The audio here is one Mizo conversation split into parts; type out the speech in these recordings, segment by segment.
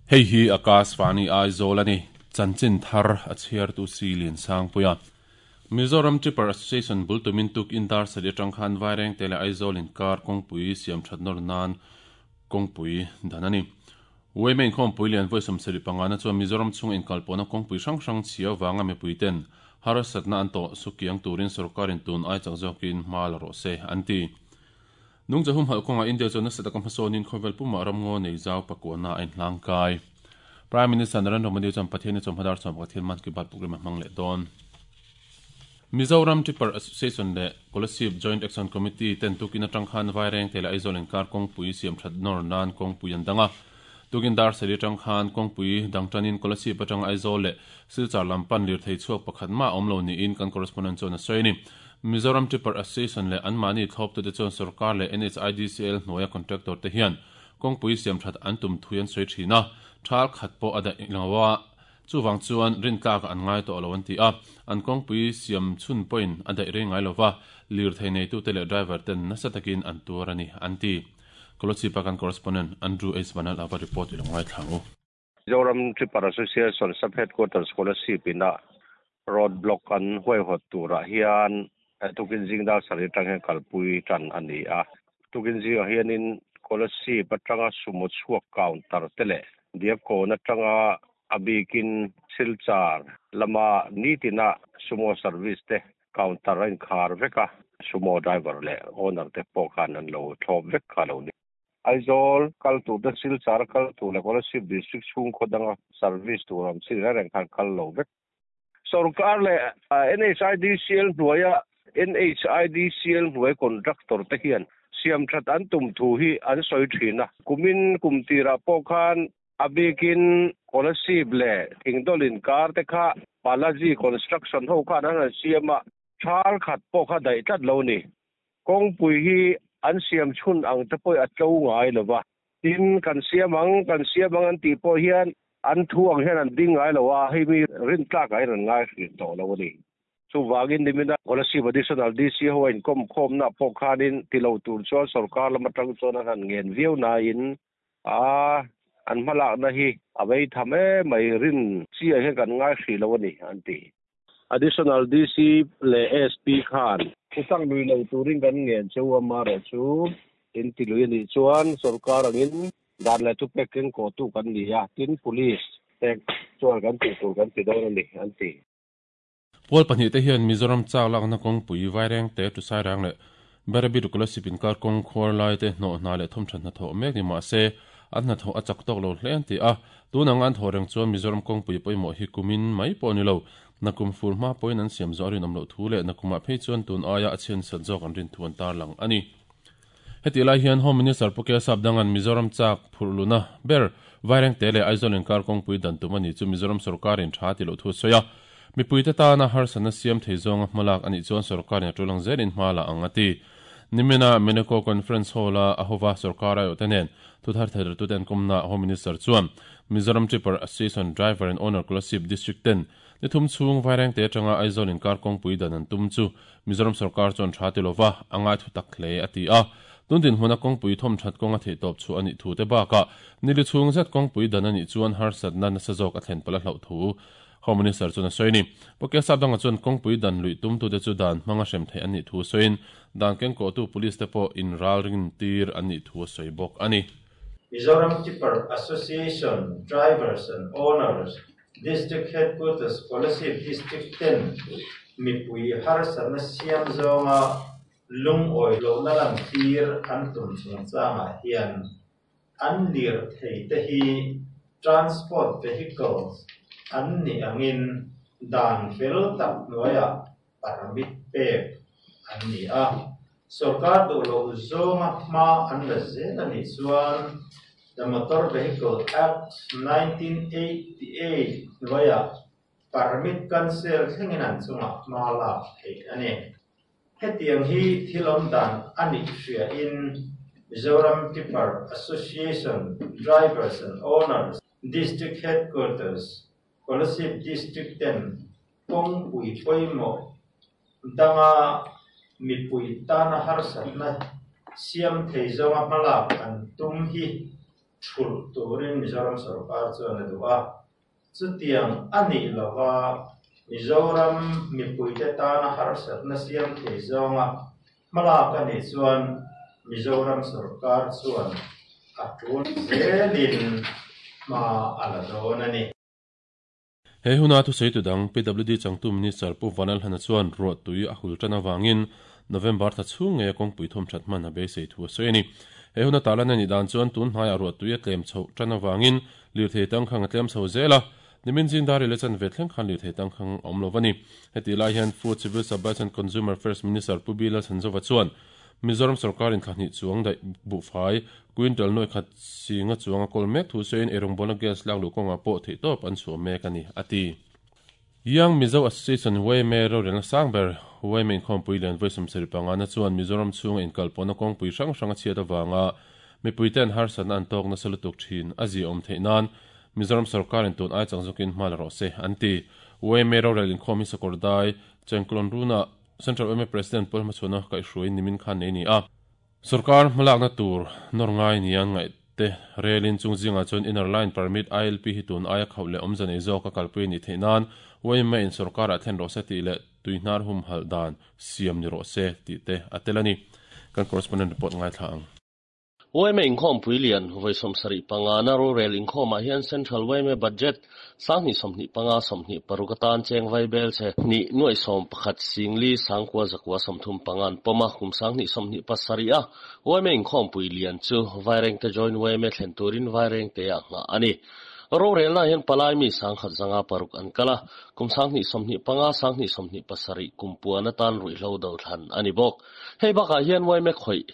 Hei hi Akashvani Aizawl a ni. Chanchin thar a chhiartu si Liansangpuia. Mizoram Tipper Association bul tumin tukin dar sarih atang khan Vairengte leh Aizawl inkar kawngpui siam that nawr nan kawngpui dan a ni. Yma inkhawmpui lian vawi 75 na chuan Mizoram chhunga inkalpawhna kawngpui hrang hrang chhia avanga mipuiten harsatna an tawh sukiang turin sorkarin tun ai chak zawkin hma la rawh se an ti. Nungcha humhalh kawngah India chuan nasa taka hmasawnin khawvel pumah ramngaw nei zau pakuahna a inhlang kai. Prime Minister Narendra Modi chuan Pathian-i chawmhma dar 11 hian Mann Ki Baat program a hmang leh dawn. Mizoram Tipper Association leh Kolasib Joint Action Committee ten tukin atang khan Vairengte leh Aizawl inkar kawngpui siam that nawr nan kawngpui an dang a. Tukin dar sarih atang khan kawngpui dang tanin Kolasib atanga Aizawl leh Silchar lam pan lirthei chhuak pakhat mah a awm lo niin kan correspondent chuan a sawi a ni. Mizoram Tipper Association leh anmahni thlawptute chuan sorkar leh NHIDCL hnuaia contractor te hian kawngpui siam that an tum thui an sawi thin a, thal khat pawh a daih lo a. Chuvang chuan rintlakah an ngai tawh lo an ti a, an kawngpui siam chhun pawhin a daih rei ngai lova, lirthei neitute leh driver ten nasa takin an tuar a ni, an ti. Kolochhipa kan correspondent Andrew H. Vanal ava report i lo ngaithla ang u. Mizoram Tipper Association Sub Headquarters Kolasib ina road block an huaihawt turah hian tukin zing dar sarih atang hian kalpui tan a ni a. Tukin zingah hianin Kolasib atanga sumo chhuak counter te leh Diakkawn atanga a bikin Silchar lama nitina sumo service te counter a inkhar vek a, sumo driver leh owner te pawh khan an lo thlawp vek kha a lo ni. Aizawl kal tur te, Silchar kal tur leh Kolasib district chhung khaw danga service tur awm chin reng reng khan kal lo vek. Sorkar leh NHIDCL hnuaia NHIDCL hnuai contractor te hian siamthat an tum thu hi an sawi thin a. Kumin kum tirah pawh khan a bikin Kolasib leh Thingdawl inkar te kha Balaji Construction ho khan an han siam a, thal khat pawh kha daih tlat lo ni. Kawngpui hi an siam chhun ang te pawh a tlo ngai lo va. Tin, kan siam ang, kan siam ang an tih pawh hian an thu ang hian an ding ngai lo a, hei mi rintlakah hian an ngai hrin tawh lo a ni. Chuvangin nimina Kolasib Additional DC ho a inkawm khawmna pawh khanin ti lo tur chuan sorkar lam atang chuan an han ngen viau nain a an hmalakna hi a vei tham em mai, rin chiah hian kan ngai hrih lo a ni an ti. Additional DC leh SP khan thutak lui lo turin kan ngen che u a, amaherawhchu in ti lui a nih chuan sorkar angin dan leh thupek keng kawhtu kan ni a, tin police te chuan kan tih tur kan ti dawn a ni, an ti. Pawl pahnihte hian Mizoram chak lakna kawngpui Vairengte, Tusairang leh Berabi Rukulasip inkar kawng khuar laite hnawh hna leh thawmthat hnathawh mek ni mah se an hnathawh a chak tawk lo hle an ti a. Tun anga an thawh reng chuan Mizoram kawngpui pawimawh hi kumin mai pawh a ni lo. Nakum fur hma pawhin an siam zawh a rinawm loh thu leh nakumah phei chuan tun aia a chhiansat zawk an rin thu an tarlang a ni. Hetih lai hian Home Minister Pu Kelsap Dangan Mizoram chak phurh luhna ber Vairengte leh Aizawl inkar kawngpui dan tum a ni chu Mizoram sorkarin tha ti loh thu a sawi a. Mipuite tana harsatna siam thei zawnga hmalak a nih chuan sorkarin a tulang zelin hma la ang a ti. Nimina Meneko Conference Hall-a a hova sorkar aiawhte nen thuthar theilertute an kawmnaah Home Minister chuan Mizoram Tipper Association Driver and Owner Kolasib District ten ni thum chhung Vairengte atanga Aizawl inkar kawngpui dan an tum chu Mizoram sorkar chuan tha ti lova a ngai thu tak hle a ti a. Tun dinhmuna kawngpui thawmthat kawng a theihtawp chhuah a nih thu te bakah nili chhung zet kawngpui dan a nih chuan harsatna nasa zawk a thlen palh a hlauh thu Home Minister chuan a sawi a ni. Pu Kesap dangah chuan kawngpui dan luih tumtute chu dan hmanga hrem theih an nih thu sawiin dan kengkawhtu police te pawh inralring tir an nih thu a sawi bawk a ni. Mizoram Tipper Association Drivers and Owners District Headquarters Kolasib District ten mipui harsatna siam zawnga lungawi lohna lantir an tum chungchangah hian an lirthei te hi transport vehicles an nih angin dan fel tak hnuaiah permit pek an ni a. Sorkar duh loh zawnga hma an la zel a nih chuan The Motor Vehicle Act 1988 hnuaiah permit cancel thlengin an chungah hma lak theih a ni. Hetiang hi thil awm dan a nih hriain Mizoram Tipper Association Drivers and Owners District Headquarters, Kolasib District ten kawngpui pawimawh. danga mipui tana harsatna siam thei zawnga hmalak an tum hi thulh turin Mizoram sorkar chuan a duh a. Chutiang a nih lova Mizoram mipuite tana harsatna siam thei zawnga hmalak a nih chuan Mizoram sorkar chuan a tul zelin hma a la dawn a ni. He huna thusawitu dang PWD changtu Minister Pu Vanlalhana chuan ruahtui a hul tan avangin November thla chhung ngeia kawngpui thawm that hman a beisei thu a sawi a ni. He huna tarlan a nih dan chuan tun hnaiah ruahtui a tlem chhoh tan avangin lirthei tangkhang a tlem chho zel a, nimin zing dar ril a chanve thleng khan lirthei tangkhang a awm lo a ni. Hetih lai hian Food, Civil Supplies and Consumer Affairs Minister Pu B Lalchhanzova chuan Mizoram sorkarin thla hnih chuang daih buhfai, quintal nuai khat singa chuang a kawl mek thu sawiin eirawngbawlna gas lak luh kawngah pawh theihtawp an chhuah mek a ni, a ti. Young Mizo Association YMA rorelna sang ber YMA inkhawmpui lian vawi sawmsarih pangana chuan Mizoram chhunga inkalpawhna kawngpui hrang hrang a chhiat avanga mipuite an harsatna an tawk nasa lutuk thin a ziaawm theih nan Mizoram sorkarin tun ai chang zawkin hma la rawh se, an ti. YMA rorel inkhawm hi Sakawrdai, Chengklawn Runa, Central yma President Paul Hmachhuana kaihhruai nimin khan nei a ni a. Sorkar hmalakna tur nawr ngai nia ngaih te relin chung zingah chuan Inner Line Permit, ILP, hi tun aia khauh leh awmze nei zawk a kalpui a nih theih nan yma in sorkarah thlen rawh se tih leh tuihnar humhalh dan siam ni rawh se tih te a tel a ni. Kan correspondent report ngaithla ang. Yma inkhawmpui lian vawi 75 na rorel inkhawmah hian Central yma Budget 2025 26 atan cheng vai bel che hnih nuaih 11 singli sangkua zakua 35 an pawm a, kum 2027 a yma inkhawmpui lian chu Vairengte Joint yma thlen turin Vairengte ah nghah a ni. Rorelna hian palai mi 156 an kal a, kum 2025 2027 kum puan atan ruihhlo do thlan a ni bawk. Hei bakah hian yma khawih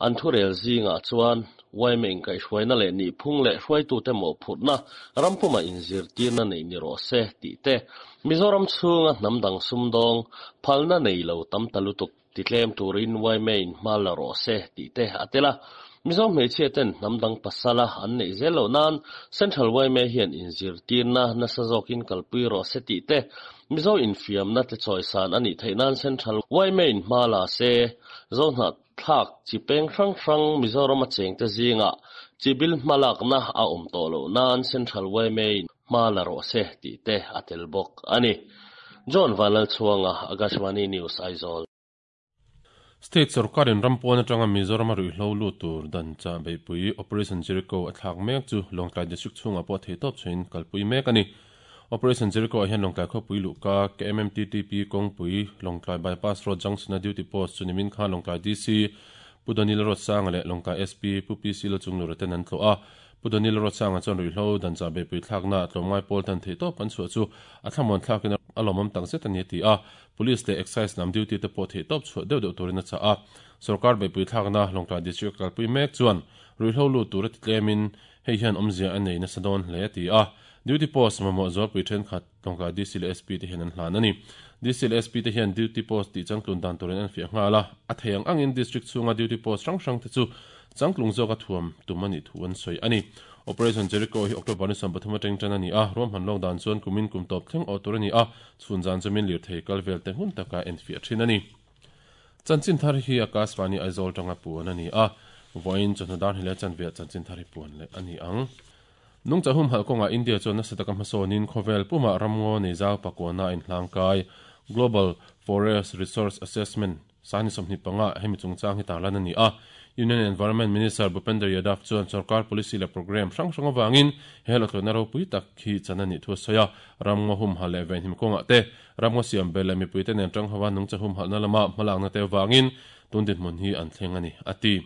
an thurel zingah chuan yma inkaihhruaina leh nihphung leh hruaitute mawhphurhna rampuma inzirtirna nei ni rawh se tih te, Mizoram chhunga hnam dang sumdawng phalna nei lo tam ta lutuk titlem turin yma in hma la rawh se tih te a tel a. Mizo hmeichhia ten hnam dang pasala an neih zel loh nan Central yma hian inzirtirna nasa zawkin kalpui rawh se tih te, Mizo infiamna te chawisan a nih theih nan Central yma in hma la se, Zohnah thlak chi peng hrang hrang Mizoram a chengte zingah chibil hmalakna a awm tawh loh nan Central yma in hma la rawh se tih te a tel bawk a ni. John Vanlalchhuanga, Akashvani News, Aizawl. State sorkarin ram pawn atanga Mizoram a ruihhlo lut tur dan chah beihpui Operation Jericho a thlak mek chu Lawngtlai District chhungah pawh theihtawp chhuahin kalpui mek a ni. Operation Jericho ah hian Lawngtlai khawpui luhka KMMTTP kawngpui Lawngtlai Bypass Road Junction a duty post chu nimin khan Lawngtlai DC Pu Donil Ruatsanga leh Lawngtlai SP Pu PC Lachunglura ten an tlawh a. Pu Donil Ruatsanga chuan ruihhlo dan chah beihpui thlakna tlawmngai pawl tan theihtawp an chhuah chu a thlamuan thlakin a lawmawm takzet a ni a ti a. Police leh Excise lam duty te pawh theihtawp chhuah deuh deuh turin a chah a. Sorkar beihpui thlakna Lawngtlai District a kalpui mek chuan ruihhlo lut tur a ti tlemin hei hian awmzia a nei nasa dawn hle a ti a. Duty post mamawh zualpui thenkhat Lawngtlai DC leh SP te hian an hlan a ni. DC leh SP te hian duty post tih changtlun dan turin an fiah nghal a, a thei ang angin district chhunga duty post hrang hrang te chu changtlung zawka thuam tum a nih thu an sawi a ni. Operation Jericho hi October ni 13 atang tan a ni a, ruahman lawk dan chuan kumin kum tawp thleng awh tur a ni a, chhun zan chu min lirthei kal vel te hmun taka enfiah thin a ni. Chanchin thar hi Akashvani Aizawl tanga puan a ni a, vawiin chawhnu dar hnih leh chanveah chanchin thar hi puan leh a ni ang. Nungchah humhalh kawngah India chuan nasa taka hmasawnin khawvel pumah ramngaw nei zau pakuana a inhlangkai Global Forest Resource Assessment Sani 25 hemi chungchang hi tarlan a ni a. Union Environment Minister Bhupender Yadav chuan sorkar policy leh programme hrang hrang avangin he hlawhthlawhna ropui tak hi chan a nih thu a sawi a. Ramngaw humhalh leh venhim kawngah te, ramngaw siam bel leh mipuite nen tang hova nungcha humhalhna lama hmalakna te avangin tun dinhmun hi an thleng a ni, a ti.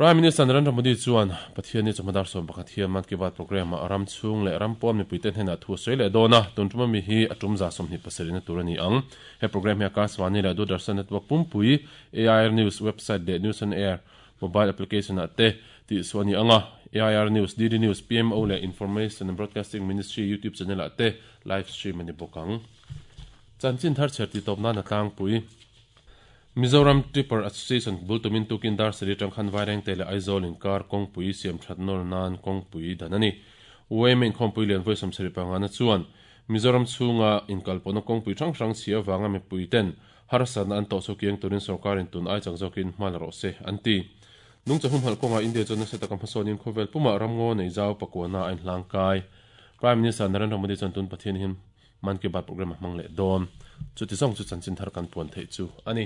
Prime Minister Narendra Modi chuan Pathianni chawhma dar 11 hian Mann Ki Baat programme ah ram chhung leh ram pawn mipuite hnenah thu a sawi leh dawn a, tun tum ami hi a tum za 27 na tur a ni ang. He programme hi Akashvani leh Doordarshan network pumpui, AIR News website leh News on Air mobile application ah te tih suah a ni ang a, AIR News, DD News, PMO leh Information and Broadcasting Ministry YouTube channel ah te live stream a ni bawk ang. Chanchin thar chher tih tawp nan a tlangpui. Mizoram Tipper Association bul tumin tukin dar sarih atang khan Vairengte leh Aizawl inkar kawngpui siam that nawr nan kawngpui dan a ni. YMA inkhawmpui lian vawi 75 na chuan. Mizoram chhunga inkalpawhna kawngpui hrang hrang chhia avanga mipuiten harsatna an tawh chu kiang turin sorkarin tun ai chak zawkin hma la rawh se, an ti. Nungcha humhalh kawngah India chuan nasa taka hmasawnin khawvel pumah ramngaw nei zau pakuana a inhlang kai. Prime Minister Narendra Modi chuan tun Pathian hian Mann Ki Baat programme a hmang leh dawn. Chuti zawng chu chanchin thar kan puan theih chu a ni.